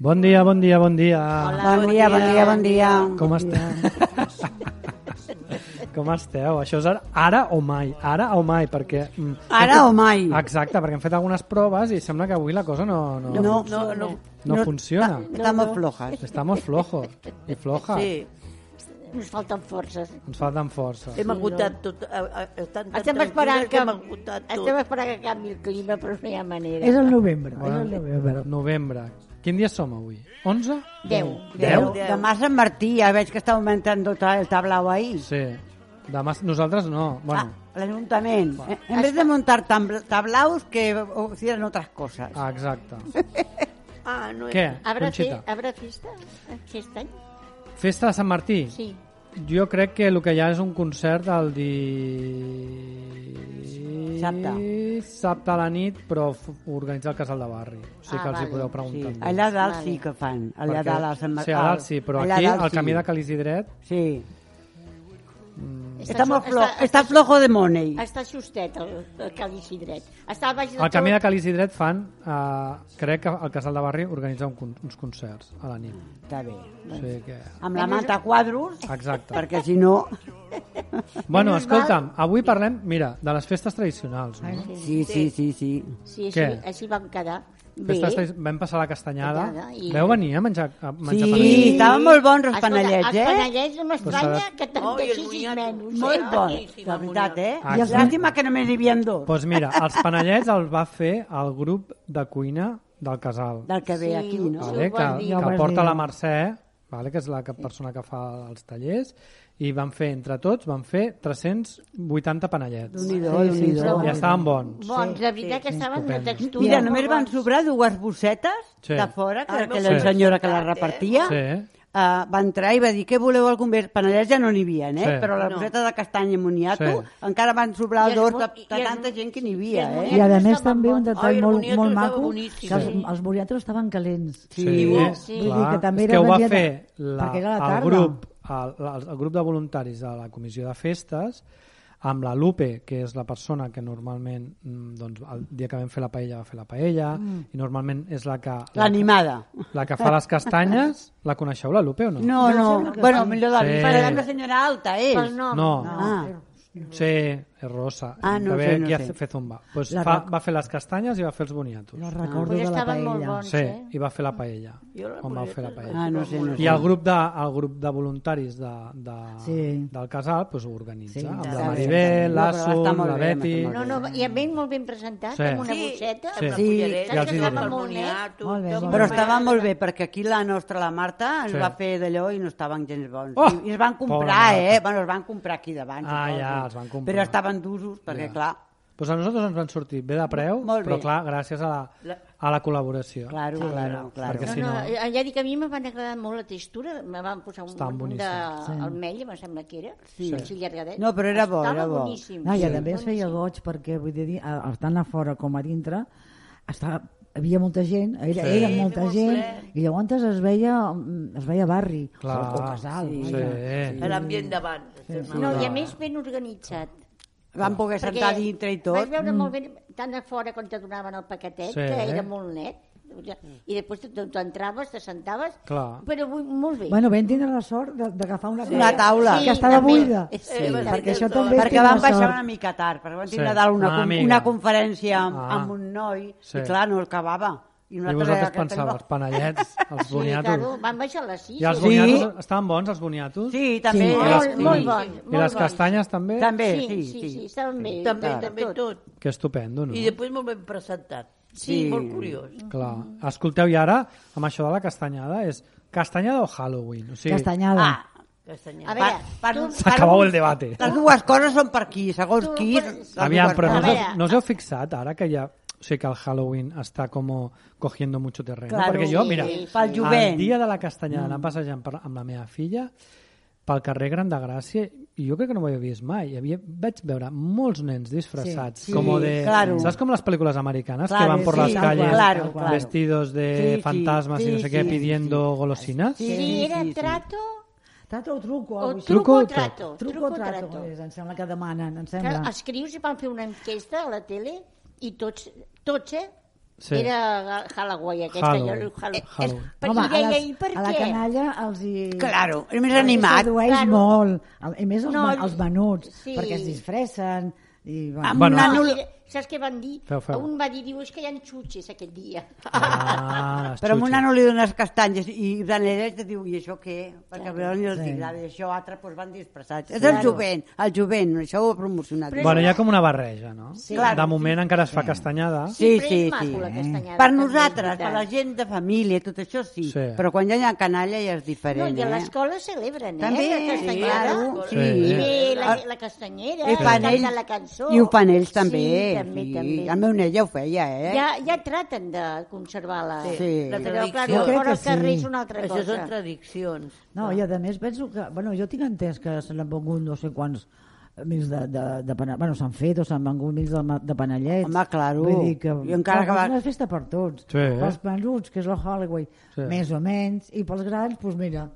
Bon dia, bon dia, bon dia. Hola, bon dia. Com esteu? Com esteu? Això és ara o mai, perquè... Ara o mai. Exacte, perquè hem fet algunes proves i sembla que avui la cosa no funciona. Estamos flojas. Estamos flojos i flojas. Sí, Ens falten forces. Ens falten força. hem agotat tot. Estem esperant que hem agotat tot. estem esperant que canvi el clima, però no hi ha manera. És el novembre. Novembre. Quin dia som avui? 11? 10. Demà Sant Martí, ja veig que està augmentant tot el tablao ahí. Sí. Demà nosaltres no. Bueno. L'Ajuntament. En vez de montar tablaos, que hicieran otras cosas. Ah, exacte. No Què, ¿Habrá Conxita? fiesta aquest any? Festa de Sant Martí? Sí. Jo crec que el que hi ha és un concert el dissabte a la nit, però organitza el casal de barri. O sigui que els hi podeu preguntar. Sí. Allà dalt sí que fan. Allà dalt a Sant Martí. Sí, a dalt sí, però aquí, al camí de Cal Isidret... Sí. Està flojo de money. Està justet el Cal Isidret. Està al baix de Al camí de Cal Isidret fan... crec que el casal de barri organitza uns concerts a la nit. Està bé. O sigui que... Amb la manta a quadros, Exacte. perquè si no... Bueno, escolta'm, avui parlem, mira, de les festes tradicionals. No? Sí. Sí, Què? així vam quedar. Bé. Vam passar la castanyada. I... Veu venir a menjar Sí, panellets? estaven molt bons els Escolta, panellets, Els panellets no m'estranya Pues que te'n deixis menys. Molt bons, la veritat, Ah, sí. Llàstima que només hi havia dos. Doncs mira, els panellets els va fer el grup de cuina del casal, Del que ve aquí, no? vale? ho vas dir. que Ja ho vas porta dir. la Mercè, vale? Que és la persona que fa els tallers, i van fer, entre tots, 380 panellets. Déu-n'hi-do. I estaven bons. Bons, de veritat que estaven de textura. Mira, molt només van bons. sobrar dues bossetes Sí. de fora, que Ah, aquella sí. senyora que la repartia Sí. va entrar i va dir, què voleu algun més? Panellets ja no n'hi havia, Sí. Però la boseta de castanya i moniato Sí. encara van sobrar I els dos mo- de i tanta els- gent que n'hi havia, I a més Estaven també un bons. detall Ai, el molt boniato estava maco, boníssim. que els boniatos estaven calents. Sí. Sí. Vull dir que també és era que ho va un dia fer perquè era la el tarda. grup de voluntaris de la comissió de festes amb la Lupe, que és la persona que normalment doncs, el dia que vam fer la paella va fer la paella i normalment és L'animada. la que fa les castanyes. La coneixeu, la Lupe, o no? No. Bueno, millor de Sí. però una senyora alta, és. Pel nom. No. Ah, Sí, és rosa. Ah, no que ve sé, no aquí a sé. fer zumba. Pues La va fer les castanyes i va fer els boniatos. No recordo Pues de la estaven molt paella. bons, Sí, i va fer la paella. On va fer la paella. Ah, no sé. I el grup de voluntaris Sí. del casal pues, ho organitza, Sí, amb està la bé. Maribel, No, però està l'Assun, molt la bé, Betty... està molt No, i a mi molt ben presentat, Sí. amb una Sí. bosseta. Sí. Una Sí. cullereta, Ja els hi diré. el Molt net. moniato, Molt bé, tot molt Però bé. estava molt bé, perquè aquí la nostra, la Marta, ens Sí. va fer d'allò i no estaven gens bons. Oh! I es van Pobra comprar, Marta. Bueno, es van comprar aquí davant. Ah, suposo. ja, els van comprar. Però estaven d'usos, perquè, Ja. clar, Pues a nosaltres ens van sortir bé de preu, Molt bé. però clar, gràcies a la col·laboració. claro. Perquè si No, no... ja dic, a mi me van agradar molt la textura, me van posar un Estaven munt boníssims. d'almella, em sembla que era, Sí. així llargadet. No, però era bo, Estava era bo. boníssim. No, I a Sí, més feia boníssim. goig perquè, vull dir, tant a fora com a dintre, havia molta gent, era molta molt gent, ple. i llavors es veia barri, Clar, o casal. sí. vaja. l'ambient d'abans. No, i a més ben organitzat. Van poder Perquè sentar dintre i tot. Vaig veure molt bé, tant a fora quan te donaven el paquetet, Sí. que era molt net, i després tu entraves, te sentaves, Clar. però molt bé. Bueno, vam tindre la sort d'agafar Una taula. que estava també. buida. Sí, perquè això sí. també Perquè té van una baixar sort. una mica tard, perquè van Sí, tindre a dalt una amiga. una conferència Ah. amb un noi, Sí. i clar, no acabava. I vosaltres pensàveu, els panellets, els Sí, boniatos... claro, van baixar a les 6. I els Sí. boniatos estaven bons, els boniatos? Sí, també. Sí. Molt, molt Sí. bons. I les castanyes també? També, Sí, estaven bé. També tot. Que estupendo, no? I després molt ben presentat. Sí. Molt curiós. Clar. Escolteu, i ara, amb això de la castanyada, és castanyada o Halloween? O sigui, Castanyada. Ah, Castanyada. A veure, tu... s'acabau el debate. les dues coses són per aquí, segons Tu qui. pots- les Aviam, dues però no coses. us heu fixat ara que ja... O sigui que el Halloween està com cogiendo mucho terreno. Claro, Perquè jo, sí, mira, sí. Pel jovent. el dia de la castanyada anant passejant amb la meva filla pel carrer Gran de Gràcia, i jo crec que no ho havia vist mai. Vaig veure molts nens disfressats, Sí, com de... claro. Saps com les pel·lícules americanes que Claro, van por sí, las tal calles cual, claro. vestidos de Sí, sí, fantasmas y no sí, sé qué, sí, pidiendo golosinas? Si era trato Trato o truco? o alguna cosa truco o Truco o trato. Truco o trato, em sembla que demanen, em Que sembla. els crios hi van fer una enquesta a la tele i tots Sí. Era Halloween, aquesta. Halloween. Halloween. Perquè Home, deia, i per a la què? canalla els hi... Claro, és més animat. Sedueix Claro. molt. I més No, els menuts, sí. perquè es disfressen. I, Amb Bueno. un nano... Saps què van dir? Feu. Un va dir, diu, és que hi ha xutxes aquest dia. Les Però a un xutxes. nano li dones castanyes i d'anera te diu, i això què? Perquè al ni els agrada, i això altre doncs van disfressats. És el jovent, això ho ha promocionat. Bueno, hi ha com una barreja, no? Sí. De moment encara es fa castanyada. Sí, Sempre sí, és maco, sí. la castanyada, Per també, nosaltres, és per la veritat. gent de família, tot això sí. Sí. Però quan ja hi ha canalla ja és No, diferent, i a l'escola celebren, També, la castanyada. claro, sí. I Sí. ve la castanyera, I fan ells, canta la cançó. i ho fan ells també. Sí, també, sí. també. El meu net ja ho feia, Ja traten de conservar-la. Sí. La Però, tradició. clar, Jo crec fora que al carrer sí. és una altra Això són cosa. tradicions. No, i a més penso que... Bueno, jo tinc entès que se n'han vengut no sé quants mils de panellets. Bueno, s'han fet o s'han vengut mils de panellets. Home, claro. Vull dir que... I encara que va- És una festa per tots. Sí. Pels menuts, que és la Halloween, Sí. més o menys, i pels grans, doncs mira,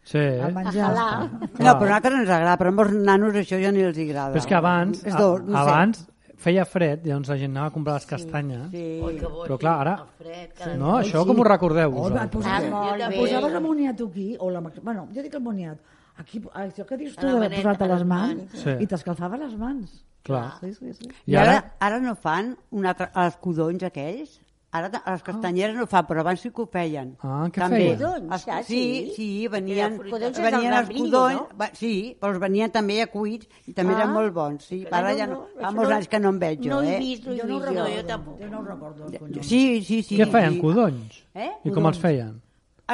Sí. el menjar. Ajalà. No, però a nosaltres no ens agrada, però a molts nanos això ja ni els agrada. Però és que abans, És dolç, no sé. abans feia fred, llavors la gent anava a comprar les castanyes. Sí. Oi, que bo, Però sí, clar, ara- el fred, cada No, Oi, això sí. com ho recordeu Oh, va, vosaltres? Ah, molt Jo bé. també. Posaves el moniato aquí, o la... Bueno, jo dic el moniat. Aquí, això que dius tu A la de maneta, posar-te a les les mans, mans. Sí. i t'escalfava les mans. Clar. Sí, sí, sí. I ara no fan els codonys aquells? Ara a les castanyeres no fa, però abans sí que ho feien. Ah, què També. feien? Codonys, Els- sí. Sí, sí, venien, Codonys és venien el els membrillo, codonys, no? sí, però els venien també a cuits i també eren molt bons. Sí, ara ja no, fa molts anys que no en veig jo, No he vist, Jo no ho jo recordo. tampoc. Jo no ho recordo. el conyol. Sí, sí, sí. Què feien, sí. codonys? I com els feien?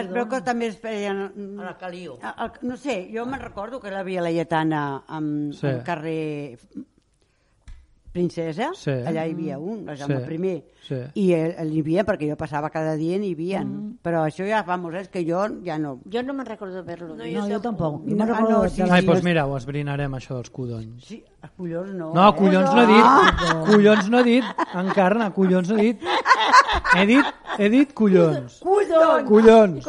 Es veu que també es feien... A la Caliu. No sé, jo me'n recordo que la Via Laietana Sí. al carrer Princesa, Sí. allà hi havia un, el Jaume Sí. I, Sí. i n'hi havia, perquè jo passava cada dia n'hi havia, però això ja fa molts anys que jo ja no... Jo no me'n recordo d'haver-lo. No, No, jo tampoc. Jo No, me'n recordo no, de sí, les- Ai, doncs mira, ho esbrinarem, això dels codonys. Sí, els collons no. No, collons no he dit. Collons no he dit. Encarna, collons no he dit. He dit collons. Collons! Collons.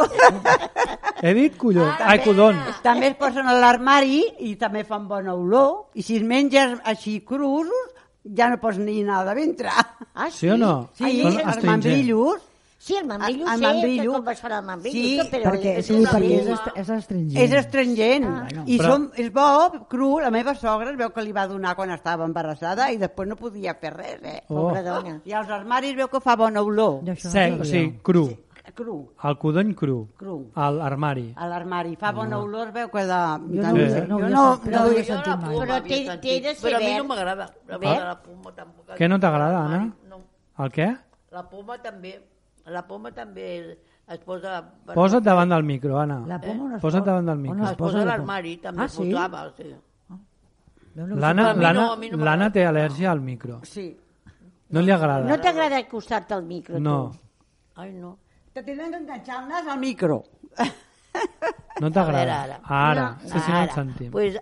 He dit collons. Ai, codons. També es posen a l'armari i també fan bona olor, i si es menges així crus, ja no pots ni anar de ventre. Ah, Sí o no? Sí, Són els astringents. membrillos. Sí, el membrillo El sé membrillo. que com vas fer el membrillo. Sí, però Perquè, sí, una perquè broma. és astringent. És astringent. I Però- és bo, cru. La meva sogra es veu que li va donar quan estava embarassada i després no podia fer res, Oh. Pobra dona. I als armaris veu que fa bona olor. Jo això no Sec, sabia. o sigui, cru. Cru, El codony cru. cru. A l'armari. A l'armari. Fa bona olor, es veu que de... Jo no, de- ho he- Sí. no, ho jo havia no, sentit, no, no ho havia jo- sentit mai. Però té de ser Però a mi verd. no m'agrada. La Verd? la poma tampoc. Què no t'agrada, Anna? No. El què? La poma també. La poma també es posa... Posa't davant del micro, Anna. La poma on es Posa't posa? davant del On micro. es Es posa posa a la l'armari, també Ah, sí? posava. Sí. Jo no ho L'Anna a mi no, a mi no m'agrada. té al·lèrgia al micro. Sí. No li agrada. No t'agrada acostar-te al micro, No, tu? Ai, no. Te tenen que enganxar el nas al micro. no A veure, t'agrada. ara. Ara, sí, sí, no et sentim. Pues,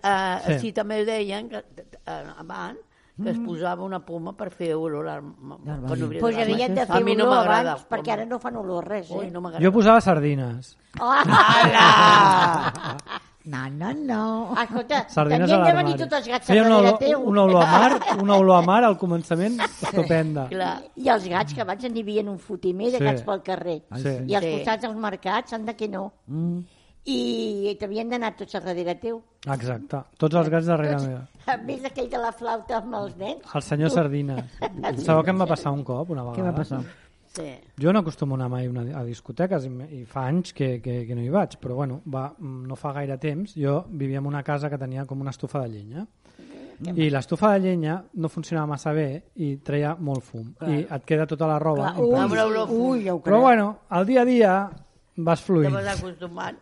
Sí. sí, també deien que abans que es posava una poma per fer olor quan obria Pues l'armari. havien de A fer mi no olor m'agrada. abans, perquè ara no fan olor res, Ui, no Jo m'agrada. posava sardines. No. Escolta, Sardines a tenien de l'armari. venir tots els gats Feia a darrere teu. una olor a mar al començament estupenda. Clar. I els gats, que abans n'hi havia un fotimer de Sí. gats pel carrer. Sí. I als Sí. costats dels mercats, anda que no. I t'havien d'anar tots a darrere teu. Exacte. Tots els gats darrere meva. A més aquell de la flauta amb els nens. El senyor Sardines. Sabeu què em va passar un cop, una vegada? Què va passar? Sí. Jo no acostumo a anar mai a discoteques i fa anys que no hi vaig, però bueno, no fa gaire temps. Jo vivia en una casa que tenia com una estufa de llenya i l'estufa de llenya no funcionava massa bé i treia molt fum i et queda tota la roba impregna. Amb l'olor Ui, ja ho crec. Però bueno, al dia a dia vas Te fluint. vas acostumant.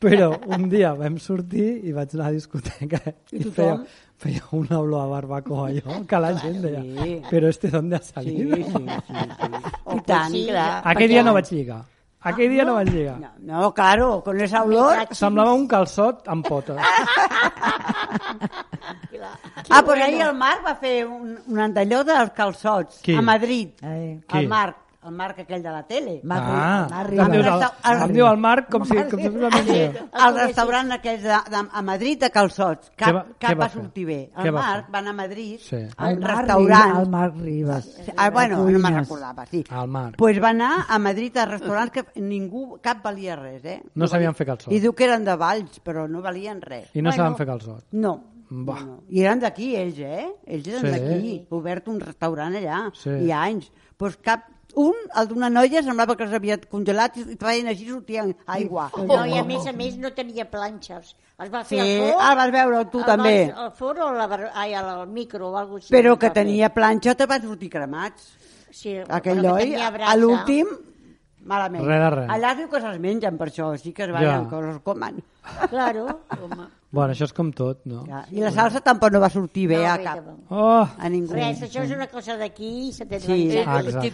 Però un dia vam sortir i vaig anar a la discoteca i feia una olor a barbacoa allò, que la gent deia, Sí. però d'on ha Sí, salido? sí, sí. I tant. Sí, clar. Aquell dia no vaig lligar. Aquell dia no vaig lligar. No, claro, con esa olor... Semblava un calçot amb potes. Pues ahir el Marc va fer un d'allò dels calçots, Qui? a Madrid. Ai. Qui? El Marc. el Marc aquell de la tele. Em diu el Marc com si fos una mentida. El restaurant aquell a Madrid, de Calçots, cap va sortir bé. El Marc va anar a Madrid, al restaurant... El Marc Ribas. Bueno, no me'n recordava, sí. El Marc. Pues va anar a Madrid a restaurants que cap valia res, eh? No sabien fer calçots. I diu que eren de Valls, però no valien res. I no saben fer calçots. No. I eren d'aquí, ells, eh? Ells eren d'aquí. Obert un restaurant allà. I anys. Pues el d'una noia semblava que els havia congelat i feien així, sortien aigua. No, i a més no tenia planxes. Es va fer al forn. El vas veure tu també. Al forn o al micro o alguna cosa així. Però que tenia planxa te va sortir cremats. Sí, aquell noi, a l'últim, malament. Res. Allà diu que se'ls mengen per això, sí que es ballen, que els comen. Claro, home. Bueno, això és com tot, no? I la salsa tampoc no va sortir bé a cap. A ningú. Res, això és una cosa d'aquí i se té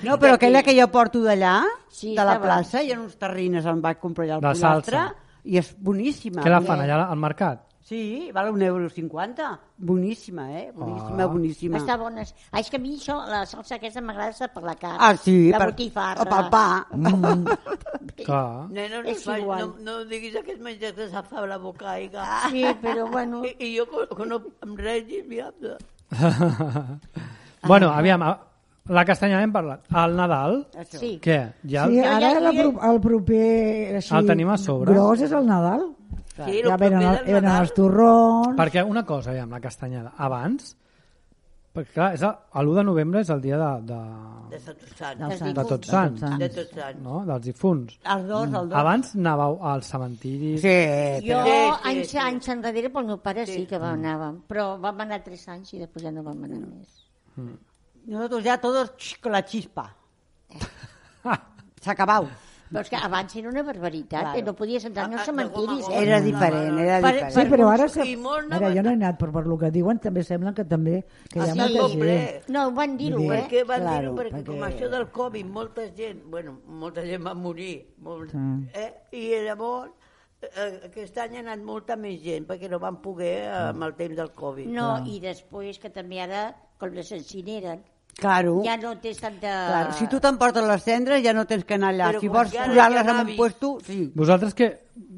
no, però aquella que jo porto d'allà, de la plaça, hi ha uns terrines, em vaig comprar allà al pollastre, i és boníssima. Què la fan allà al mercat? Sí, val €1,50. Boníssima, boníssima. Està bona. És que a mi això, la salsa aquesta m'agrada per la carn. Ah, sí, la botifarra. O pel pa. Clar. Nena, no diguis aquest menjar que se fa la boca aigua. Sí, però bueno... I jo que no em regis, miapte. Bueno, aviam, la castanya hem parlat. El Nadal? Sí. Què? Sí, ara el proper... El tenim a sobre. Gros és el Nadal. Sí, ja venen els torrons... Perquè una cosa, aviam, la castanyada. Abans, perquè clar, l'1 de novembre és el dia de Tots Sants. De Tots Sants. No? Dels difunts. Els dos. Abans anàveu als cementiris. Sí. Jo, anys enrere, pel meu pare sí que anàvem, però vam anar 3 anys i després ja no vam anar més. Nosotros ya todos con la chispa. S'acabau. Però és que abans era una barbaritat, no podies entrar als cementiris. Era diferent. Sí, però ara jo no he anat, però per lo que diuen també sembla que també hi ha molta gent. No, van dir-ho, Perquè van dir-ho, perquè com això del Covid, molta gent va morir. I llavors aquest any ha anat molta més gent, perquè no van poder amb el temps del Covid. No, i després que també ara, com les incineren, Claro. Ja no tens tanta... Claro. Si tu t'emportes les cendres ja no tens que anar allà. Però si vols posar-les en un puesto, sí. Vosaltres que...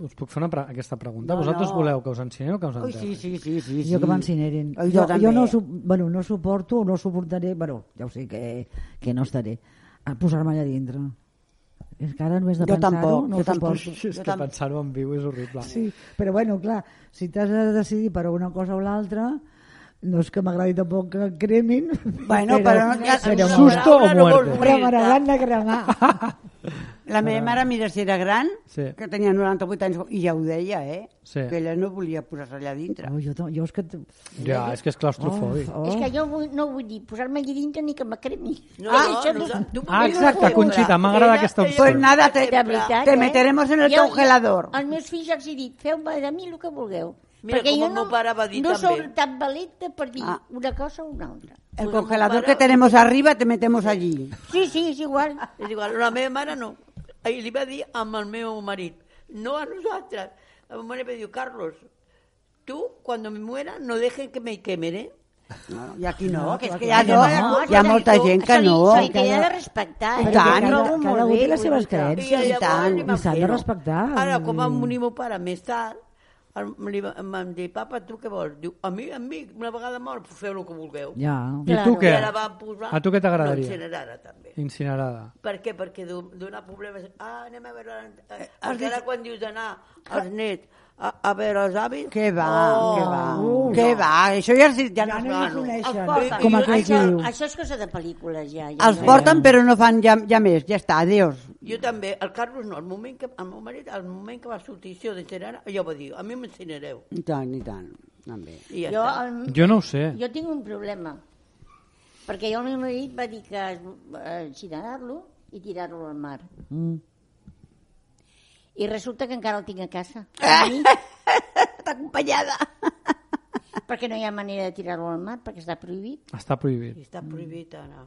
Us puc fer aquesta pregunta? Vosaltres voleu que us encineren o que us enterren? Sí. Jo que m'encineren. Jo no suporto, no suportaré, ja ho sé que no estaré, a posar-me allà dintre. És que ara només de pensar-ho no ho suporto. És que pensar-ho en viu és horrible. Sí, però bueno, clar, si t'has de decidir per una cosa o l'altra... No és que m'agradi tampoc que cremin. Bueno, però susto o muerte. Però m'agraden de cremar. La meva mare, mira, si era gran, que tenia 98 anys, i ja ho deia, que ella no volia posar-se allà dintre. Jo és que... Ja, és que és claustrofòbic. És que jo no vull dir posar-me allà dintre ni que me cremi. Exacte, Conxita, m'agrada aquesta opció. Pues nada, te meteremos en el congelador. Als meus fills ja els he dit, feu-me de mi el que vulgueu. Mira, perquè com jo el meu pare va dir no també. soy tan valenta per dir una cosa o una altra. El congelador que tenemos arriba te metemos allí. Sí, és igual. És igual, la meva mare no. I li va dir amb el meu marit, no a nosaltres. El meu marit va dir, Carlos, tu, cuando me muera, no dejen que me quemen, ¿eh? No, i aquí no, que és que ja no, hi ha molta gent que no. Se li ha de respectar. Cada un té les seves creences i s'han de respectar. Ara, com va morir meu pare més tard, em van dir, papa, tu què vols? Diu, a mi, una vegada mort, feu el que vulgueu. Ja. I tu què? A tu què t'agradaria? Incinerada, també. Incinerada. Per què? Perquè donar problemes... anem a veure... Encara quan dius d'anar als nets a veure els avis... Què va, això ja no es coneixen. Com aquell que diu. Això és cosa de pel·lícules, ja. Els porten però no fan ja més, ja està, adéus. Jo també, el Carlos no, el moment que va sortir això d'incinerar, jo va dir, a mi m'incinereu. I tant, també. Jo no ho sé. Jo tinc un problema, perquè el meu marit va dir que incinerar-lo i tirar-lo al mar. I resulta que encara el tinc a casa. Està acompanyada. Perquè no hi ha manera de tirar-lo al mar, perquè està prohibit. Està prohibit. Està prohibit, Anna.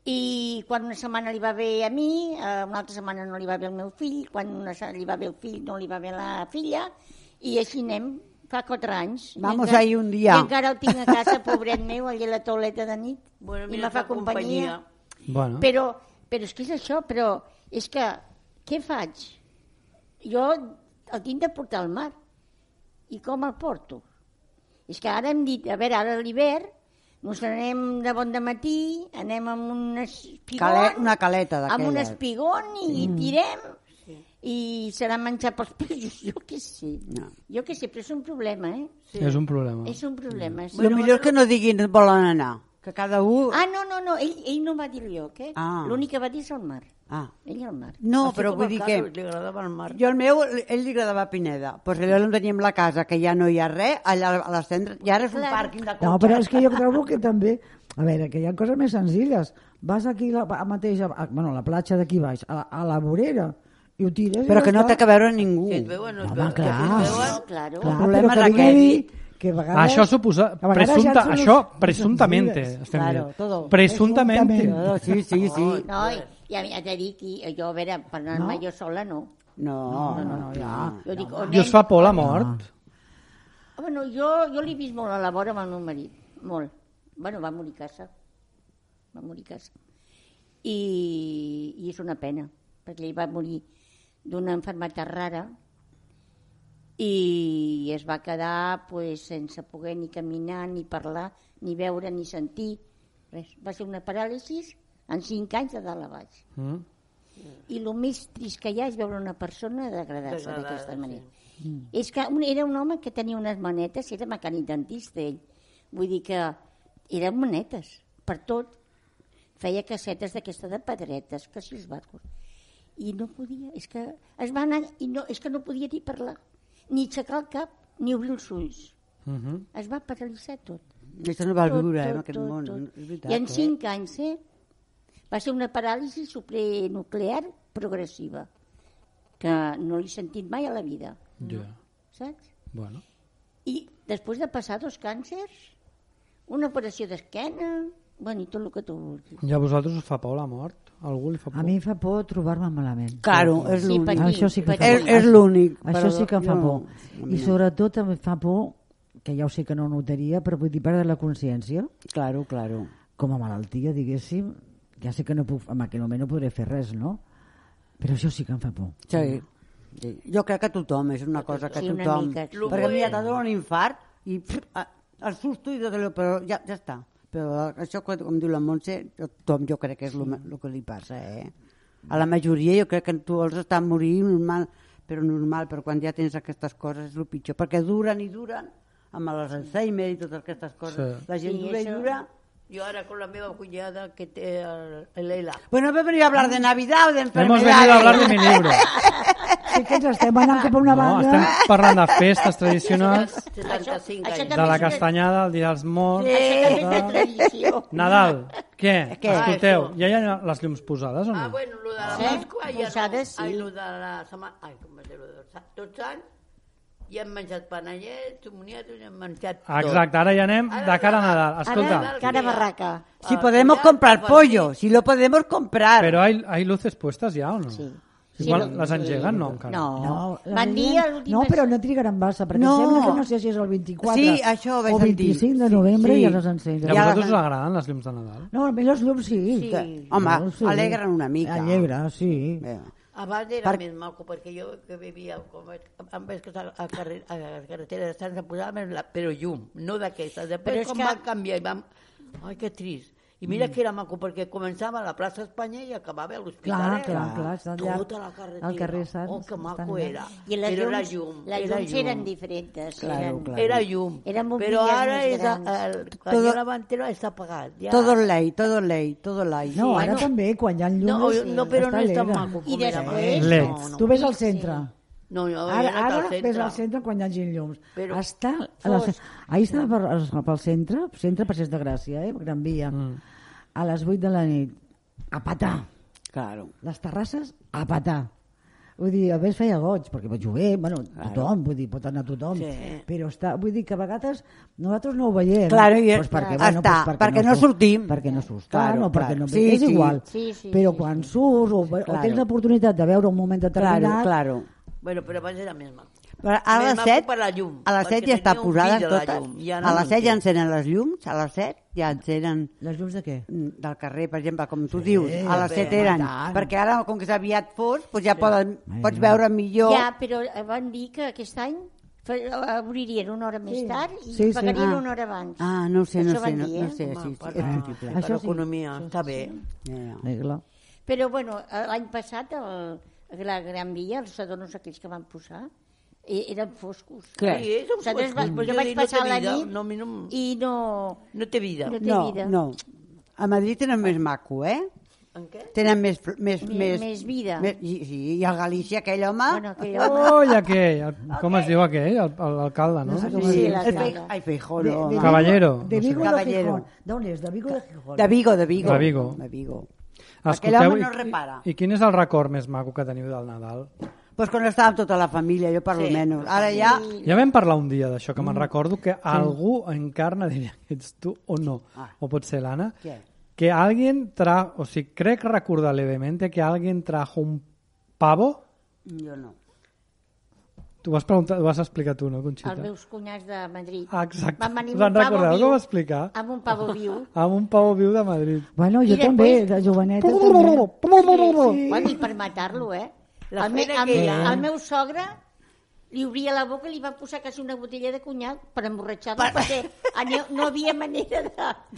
I quan una setmana li va bé a mi, una altra setmana no li va bé al meu fill, quan li va bé al fill no li va bé a la filla, i així anem, fa 4 anys. Vamos ahí un dia. I encara el tinc a casa, pobret meu, allà a la tauleta de nit, i me fa companyia. Bueno. Però Però és que és això, però és que què faig? Jo el tinc de portar al mar. I com el porto? És que ara hem dit, a veure, ara a l'hivern ens anem de bon dematí, anem amb un espigón, una caleta d'aquella. amb un espigón i tirem i serà menjar pels peixos, jo què sé. No. Jo què sé, però és un problema, eh? Sí. És un problema. És un problema. El millor és que no diguin on volen anar, que cada un... Ah, no, ell no va dir el lloc, eh? L'únic que va dir és el mar. Ell al mar. No, però vull dir que... Li agradava el mar. Jo el meu, ell li agradava Pineda. Pues allò on teníem la casa, que ja no hi ha res, allà a les cendres, i ara és un pàrquing de cotxes. No, però és que jo trobo que també... A veure, que hi ha coses més senzilles. Vas aquí mateix, a la platja d'aquí baix, a la vorera, i ho tires... Però que no té que veure ningú. Si et veuen, no et Home, veuen. clar, El problema és aquest. Que vegades, això suposa això presuntamente claro, todo. Presuntamente. Sí. No, ja t'he dit que jo, a veure, per anar-me jo sola, no. No, ja. I us fa por la mort? Bueno, jo l'he vist molt a la vora amb el meu marit, molt. Bueno, va morir a casa. I és una pena, perquè ell va morir d'una malaltia rara i es va quedar sense poder ni caminar, ni parlar, ni veure, ni sentir. Res. Va ser una paràlisi en 5 anys de dalt a baix. I el més trist que hi ha és veure una persona degradar-se d'aquesta manera. És que era un home que tenia unes manetes, era mecànic dentista ell. Vull dir que eren manetes, per tot. Feia casetes d'aquesta de pedretes, que si els barcos. I no podia, és que es va anar, és que no podia ni parlar, ni aixecar el cap, ni obrir els ulls. Es va paralitzar tot. Això no va viure en aquest món. I en 5 anys, va ser una paràlisi supranuclear progressiva, que no l'he sentit mai a la vida. Saps? Bueno. I després de passar 2 càncers, una operació d'esquena, i tot el que tu vulguis. I a vosaltres us fa por la mort? A algú li fa por? A mi em fa por trobar-me malament. Claro, és l'únic. Això sí que em fa por. És l'únic. Això sí que em fa por. I sobretot em fa por, que ja ho sé que no notaria, però vull dir, perdre la consciència. Claro. Com a malaltia, diguéssim, ja sé que no puc, en aquell moment no podré fer res, no? Però això sí que em fa por. Sí. Jo crec que tothom, és una cosa que tothom... Perquè a mi ja t'ha donat un infart i el susto i tot allò, però ja està. Però això, com diu la Montse, tothom jo crec que és el que li passa, A la majoria jo crec que tu els estàs morint normal, però quan ja tens aquestes coses és el pitjor, perquè duren, amb l'Alzheimer i totes aquestes coses. La gent dura. Yo ahora con la misma cuñada que el ELA. Bueno, hemos venido a hablar de Navidad o de enfermedades. Hemos venido a hablar de mi libro. Sí que ens estem anant cap a una banda. Estem parlant de festes tradicionals, 75 anys. de la castanyada, el dia dels morts... Tradició. Nadal, què? Escolteu, ja hi ha les llums posades o no? Bueno, lo de la Pascua ja posades, sí. Lo de la setmana... Ai, com es diu, tots anys ja hem menjat panellets, moniatos, hem menjat tot. Exacte, ara ja anem de cara a Nadal. Escolta. Cara barraca. Si podemos comprar pollo, si lo podemos comprar. Pero hay luces puestas ya o no? Sí. Igual les engeguen, no, encara. No, van dir l'últim... No, però no trigaran massa, perquè sembla que no sé si és el 24 sí, això o 25 de novembre ja les encenen. I a vosaltres us agraden les llums de Nadal? No, a mi les llums sí. Home, alegren una mica. Alegra, sí. Abans era més maco, perquè jo que vivia amb les carreteres de Sants em posàvem però llum, no d'aquestes. Després com va canviar i vam... Ai, que trist. I mira que era maco, perquè començava a la plaça Espanya i acabava a l'Hospitalet. Clar, tota la carretera. Al carrer Sants. Oh, que maco era. I les llums eren diferents. Era llum. Però ara el canyó davantero està apagat. Todo ley. No, ara també, quan hi ha llums... No, però no és tan maco com era abans. Tu ves al centre. No, ara ves al centre quan hi hagi llums. Ahir estava pel centre Passeig de Gràcia, Gran Via, a les 8 de la nit, a patar. Claro. Les terrasses, a patar. Vull dir, a més feia goig, perquè va llover, bueno, tothom, vull dir, pot anar tothom, però vull dir que a vegades nosaltres no ho veiem. Claro, perquè no sortim. Perquè no surts tant, o perquè no... És igual, però quan surts o tens l'oportunitat de veure un moment determinat... Claro. Bueno, però abans era més maco. A les 7 a les 7 ja està posada totes. A les 7 ja encenen les llums, a les 7 ja encenen... Les llums de què? Del carrer, per exemple, com tu dius, a les 7 eren. Perquè ara, com que és aviat fos, doncs ja pots veure millor... Ja, però van dir que aquest any obririen una hora més tard i pagarien una hora abans. No ho sé, no sé. Per l'economia, està bé. Però, bueno, l'any passat, la Gran Via, els adornos aquells que van posar, eren foscos. Sí, són foscos. Jo vaig passar la nit i no... No té vida. No. A Madrid tenen més maco, eh? En què? Tenen més vida. Sí, i a Galícia aquell home... I aquell, com es diu aquell? L'alcalde, no? Sí, l'alcalde. Ai, Feijó, no. Caballero. De Vigo o de Gijón? D'on és? De Vigo o de Gijón? De Vigo. Aquell home no repara. I quin és el record més maco que teniu del Nadal? Pues quan estàvem tota la família, jo per lo menos. Ara ja... Ja vam parlar un dia d'això, que me'n recordo que algú encarna, diria que ets tu o no, o pot ser l'Anna, que alguien trajo, o sigui, crec recordar levemente que alguien trajo un pavo. Jo no. Tu ho vas explicar tu, no, Conxita? Els meus cunyats de Madrid. Exacte. Van venir Us en recordeu que ho va explicar? Amb un pavo viu. Amb un pavo viu de Madrid. Bueno, jo també, de joveneta també. Bueno, i per matar-lo, el meu sogre li obria la boca i li va posar quasi una botella de conyac per emborratxar-lo, perquè no havia manera de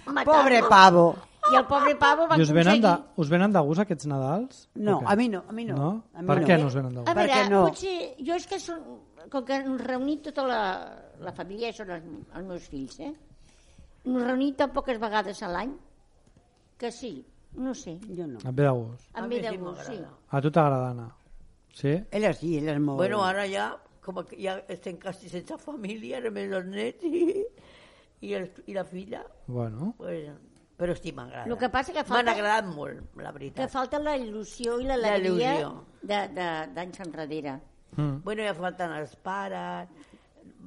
matar-lo. Pobre pavo. I el pobre pavo va aconseguir... Us venen de gust aquests Nadals? No, a mi no. No? Per què no us venen de gust? A veure, potser... Jo és que com que ens reunim tota la família, són els meus fills, nos reunim tan poques vegades a l'any que sí, no sé. Jo no. Et ve de gust? Em ve de gust, sí. A tu t'agrada anar? Sí? Ella sí, ella és molt... Bueno, ara ja, com que ja estem quasi sense família, només els nets i la filla. Bueno. Pues, però sí, m'agrada. El que passa que falta... M'han agradat molt, la veritat. Que falta la il·lusió i l'alegria d'anys enrere. Bueno, ja falten els pares,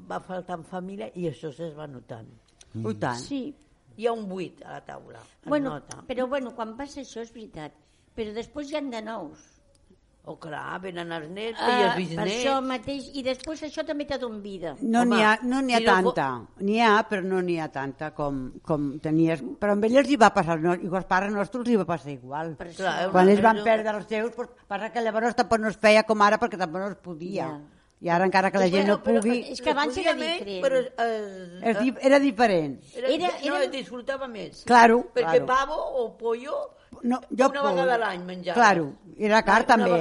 va faltant família i això es va notant. I tant. Sí. Hi ha un buit a la taula. Però quan passa això és veritat. Però després hi ha de nous. Clar, venen els nets i els bisnets. Per això mateix, i després això també te dona vida. No n'hi ha tanta. N'hi ha, però no n'hi ha tanta com tenies. Però amb ells hi va passar, i als pares nostres hi va passar igual. Quan ells van perdre els seus, passa que llavors tampoc no es feia com ara perquè tampoc no es podia. I ara encara que la gent no pugui... És que abans era diferent. Però era diferent. No, es disfrutava més. Claro. Perquè pavo o pollo... una vegada a l'any menjava. Claro, era car també,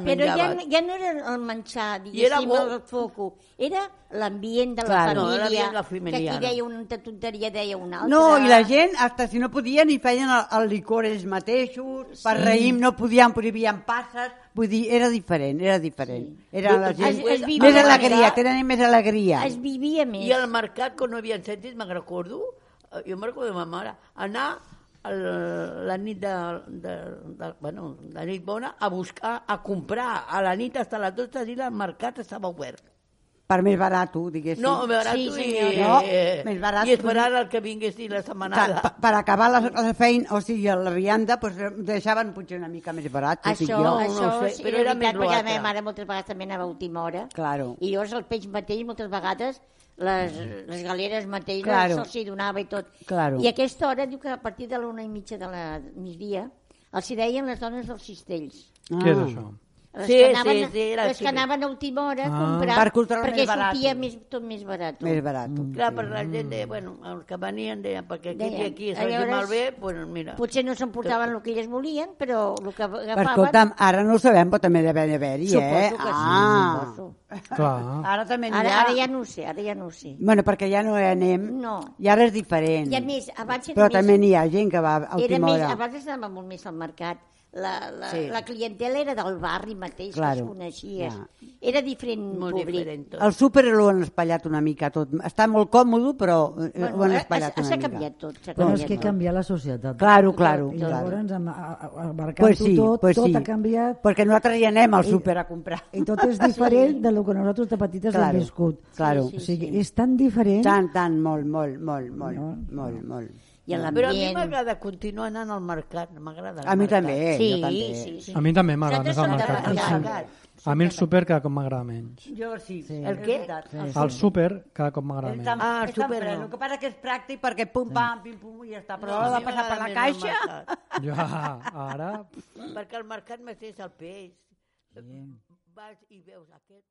Però ja no era el menjar, diguéssim, el foco. Era l'ambient de la família, que aquí deia una tonteria, deia una altra. No, i la gent, hasta si no podien, hi feien el licor ells mateixos, per raïm no podien, prohibien passes, vull dir, era diferent. Era la gent, més alegria, tenen més alegria. Es vivia més. I al mercat, quan no havien sentit, me'n recordo, jo me'n recordo de ma mare, anar la nit la nit bona a buscar, a comprar a la nit fins a les 12 i el mercat estava obert per més barat, diguéssim. No, més barat i esperar el que vinguessin la setmanada. Per acabar la feina, o sigui, la vianda, deixaven potser una mica més barat. Això sí, però era veritat, perquè la meva mare moltes vegades també anava a última hora. I llavors el peix mateix, moltes vegades, les galeres mateixes se'ls donava i tot. I a aquesta hora diu que a partir de l'1:30 de la migdia els hi deien les dones dels cistells. Què és això? Les que anaven a última hora a comprar perquè sortia tot més barat. Clar, per la gent deia, bueno, els que venien deien, perquè aquí es vegi malbé, doncs mira. Potser no s'emportaven el que elles volien, però el que agafaven... Escolta'm, ara no ho sabem, però també deve haver-hi, Suposo que sí, Clar. Ara també n'hi ha. Ara ja no ho sé, Bueno, perquè ja no hi anem, i ara és diferent. I a més, abans però també n'hi ha gent que va a última hora. Abans anava molt més al mercat. La clientela era del barri mateix, que es coneixies. Era diferent públic. El súper l'ho han espatllat una mica tot. Està molt còmode, però ho han espatllat una mica. S'ha canviat tot. Però és que canvia la societat. Claro. I llavors, abarcant-ho tot ha canviat. Perquè nosaltres ja anem al súper a comprar. I tot és diferent del que nosaltres de petites hem viscut. Claro. O sigui, és tan diferent. Tant, molt. Però a mi m'agrada continuar anant al mercat, m'agrada. A mi també. Sí. A mi també m'agrada més al mercat. A mi el súper cada cop m'agrada menys. Jo sí. El què? El súper cada cop m'agrada menys. El súper no. El que passa que és pràctic perquè pum-pam, pim-pum i ja està. Però ha de passar per la caixa. Ja, ara... Perquè al mercat m'estès el peix. Vas i veus aquest